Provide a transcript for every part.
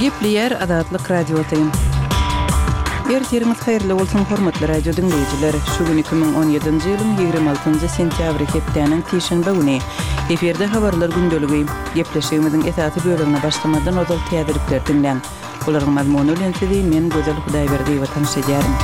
Gepleýär Azatlyk Radiosy. Ertiriňiz haýyrly bolsun, hormatly radio diňleýjiler! Şu gün 2017-nji ýylyň 26-njy sentýabry, hepdäniň sişenbe güni. Efirde Habarlar gündeligi. Gepleşigimiziň esasy bölegine başlamazdan ozal täzelikleri diňläň. Olaryň mazmuny bilen sizi men Gözel Hudaýberdiýewa tanyş edýärin.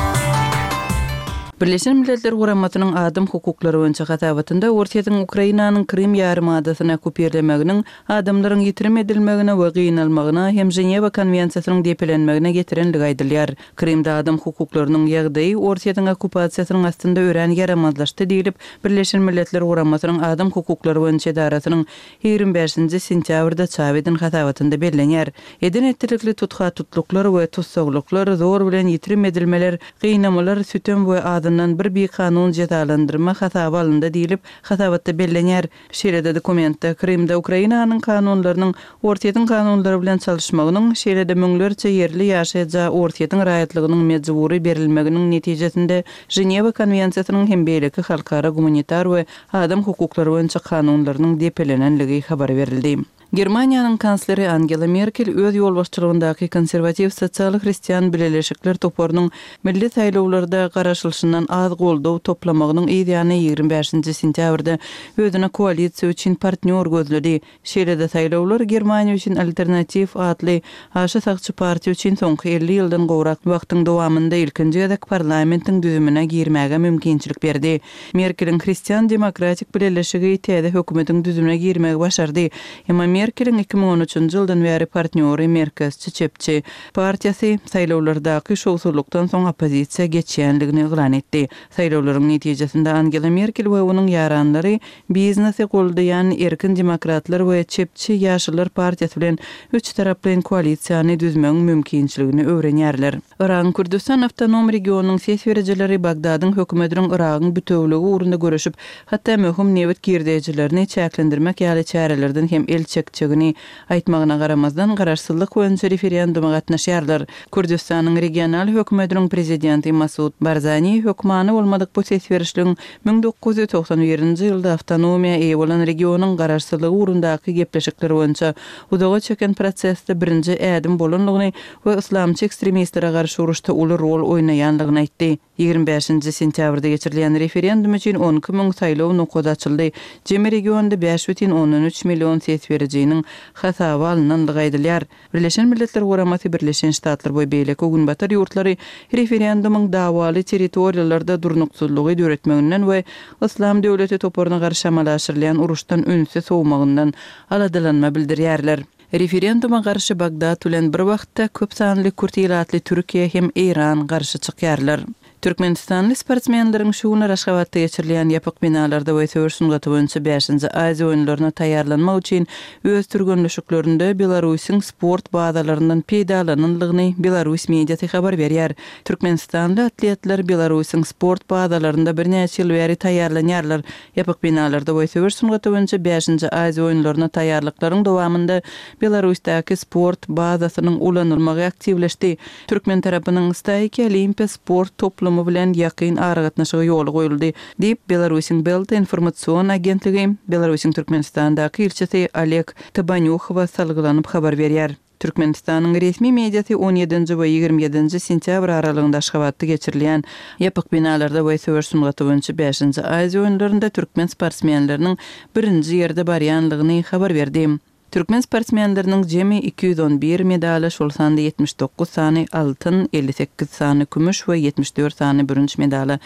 Birleşen Milletler Guramasynyň adam hukuklary boýunça hasabatynda Orsýetiň Ukrainanyň Krym ýarymadasyny okkupirlemeginiň adamlaryň ýitirim edilmegine we gynalmagyna hem Ženewa konwensiýasynyň depelenmegine getirenligi aýdylýar. Krymda adam hukuklarynyň ýagdaýy Orsýetiň okkupasiýasynyň astynda örän ýaramazlaşdy diýlip, Birleşen Milletler Guramasynyň adam hukuklary boýunça edarasynyň 25-nji sentýabrda çap eden hasabatynda bellenýär. Eden-etdilikli tutha-tutluklar we tussaglyklar, zor bilen ýitirim edilmeler, gynamalar, sütem we azyndan bir bikanun jezalandyrma hasaba alyndy diýlip, hasabatda bellenýär. Şeýle-de dokumentde Krymda Ukrainanyň kanunlarynyň Orsýetiň kanunlary bilen çalyşmagynyň, şeýle-de müňlerçe ýerli ýaşaýja Orsýetiň raýatlygynyň mejbury berilmeginiň netijesinde Ženewa konwensiýasynyň hem beýleki halkara gumanitar we adam hukuklary boýunça kanunlarynyň depelenenligi habar berildi. Germaniýanyň kansleri Angela Merkel öz ýolbaşçylygyndaky konserwatiw sosial hristian bileleşikler toparynyň milli saýlawlarda garaşylyşyndan az goldaw toplamagynyň yz ýany 25-nji sentýabrda özüne koalisiýa üçin partnýor gözledi. Şeýle-de saýlawlar Germaniýa üçin alternatiw atly aşa sagçy partiýa üçin soňky 50 ýyldan gowrak wagtyň dowamynda ilkinji gezek parlamentiň düzümine girmäge mümkinçilik berdi. Merkeliň Hristian demokratik bileleşigi täze hökümetiň düzümine girmegi başardy. Emma Merkeliň 2013-nji ýyldan bäri partnýory merkezçi çepçi partiýasy saýlawlardaky şowsuzlykdan soň oppozisiýa geçýändigini yglan etdi. Saýlawlaryň netijesinde Angela Merkel we onuň ýaranlary biznesi goldaýan Erkin demokratlar we çepçi Ýaşyllar partiýasy bilen üçtaraplaýyn koalisiýany düzmegiň mümkinçiligini öwrenýärler. Yragyň Kürdüstan awtonom regionynyň ses berijileri Bagdadyň hökümetiniň Yragyň bütewiligi ugrunda göreşip, hatda möhüm nebit girdejilerini çäklendirmek ýaly çärelerden hem el çekjegini aýtmagyna garamazdan, garaşsyzlyk boýunça referenduma gatnaşýarlar. Kürdüstanyň regional hökümetiniň prezidenti Masud Barzani hökmany bolmadyk bu ses berişligiň 1991-nji ýylda awtonomiýa eýe bolan regionyň garaşsyzlygy ugrundaky gepleşikler boýunça uzaga çeken prosesde birinji ädim bolandygyny we yslamçy ekstremistlere garşy uruşda uly rol oýnaýandygyny aýtdy. 25-nji sentýabrda geçirilýän referendum üçin 12 müň saýlaw nokady açyldy. Jemi regionda 5,3 million ses berijiniň hasaba alnandygy aýdylýar. Birleşen Milletler Guramasy, Birleşen Ştatlar we beýleki günbatar ýurtlary referendumyň dawaly territoriýalarda durnuksyzlygy döretmeginden we Yslam döwleti toparyna garşy amala aşyrylýan uruşdan ünsi sowmagyndan aladalanma bildirýärler. Referenduma garşy Bagdat bilen bir wagtda köp sanly kürt ilatly Türkiýe hem Eýran garşy çykýarlar. Türkmenistanly sportsmenleriň şu günler Aşgabatda geçirilýän ýapyk binalarda we söweş sungaty boýunça bäşinji Aziýa oýunlaryna taýýarlanmak üçin öz türgenleşiklerinde Belarusyň sport bazalaryndan peýdalanandygyny belarus mediasy habar berýär. Türkmenistanly atletler Belarusyň sport bazalarynda birnäçe ýyl bäri taýýarlanýarlar. Ýapyk binalarda we söweş sungaty boýunça bäşinji Aziýa oýunlaryna taýýarlyklaryň dowamynda Belarusdaky sport bazasynyň ulanylmagy aktiwleşdi. Türkmen tarapynyň Staýki Olimpiýa sport toplumy bilen ýakyn aragatnaşygy ýola goýuldy, diýip, Belarusyň Belta informasion agentligi Belarusyň Türkmenistandaky ilçisi Oleg Tabanýuhowa salgylanyp habar berýär. Türkmenistanyň resmi mediasy on ýedinji we 27-nji sentýabr aralygynda Aşgabatda geçirilýän ýapyk binalarda we söweş sungaty boýunça bäşinji Aziýa oýunlarynda türkmen sportsmenleriniň birinji ýerde barýanlygyny habar berdi. Türkmen sportsmenleriniň jemi 211 medala, şol sanda 79 sany altyn, 58 sany kümüş we 74 sany bürünç medala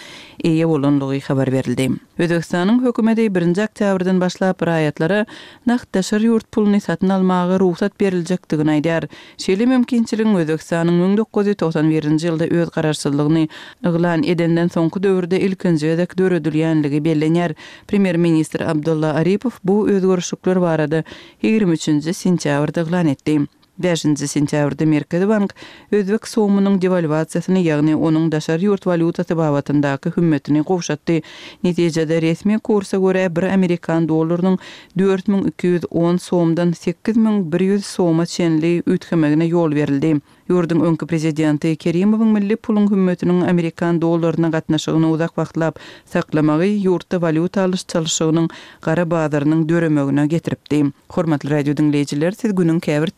eýe bolanlygy habar berildi. Özbegistanyň hökümeti birinji oktýabrdan başlap raýatlara nagt daşary ýurt puluny satyn almaga rugsat beriljekdigini aýdýar. Şeýle mümkinçiligiň Özbegistanyň 1991-nji ýylda öz garaşsyzlygyny yglan edenden soňky döwürde ilkinji gezek döredilýänligi bellenýär. Premýer-ministr Abdulla Aripow bu özgerişlikler barada 23-nji sentýabrda yglan etdi. Bäşinji sentýabrda Merkezi bank özbek somynyň dewalwasiýasyny, ýagny onuň daşary ýurt walýutasy babatyndaky hümmetini gowşatdy. Netijede, resmi kursa görä, bir amerikan dollarynyň 4210 somdan 8100 soma çenli üýtgemegine ýol berildi. Ýurduň öňki prezidenti Kerimowyň milli puluň hümmetiniň amerikan dollaryna gatnaşygyny uzak wagtlap saklamagy ýurtda walýuta alyş-çalşygynyň gara bazarynyň döremegine getiripdi. Hormatly radio diňleýjiler, siz günüň käbir.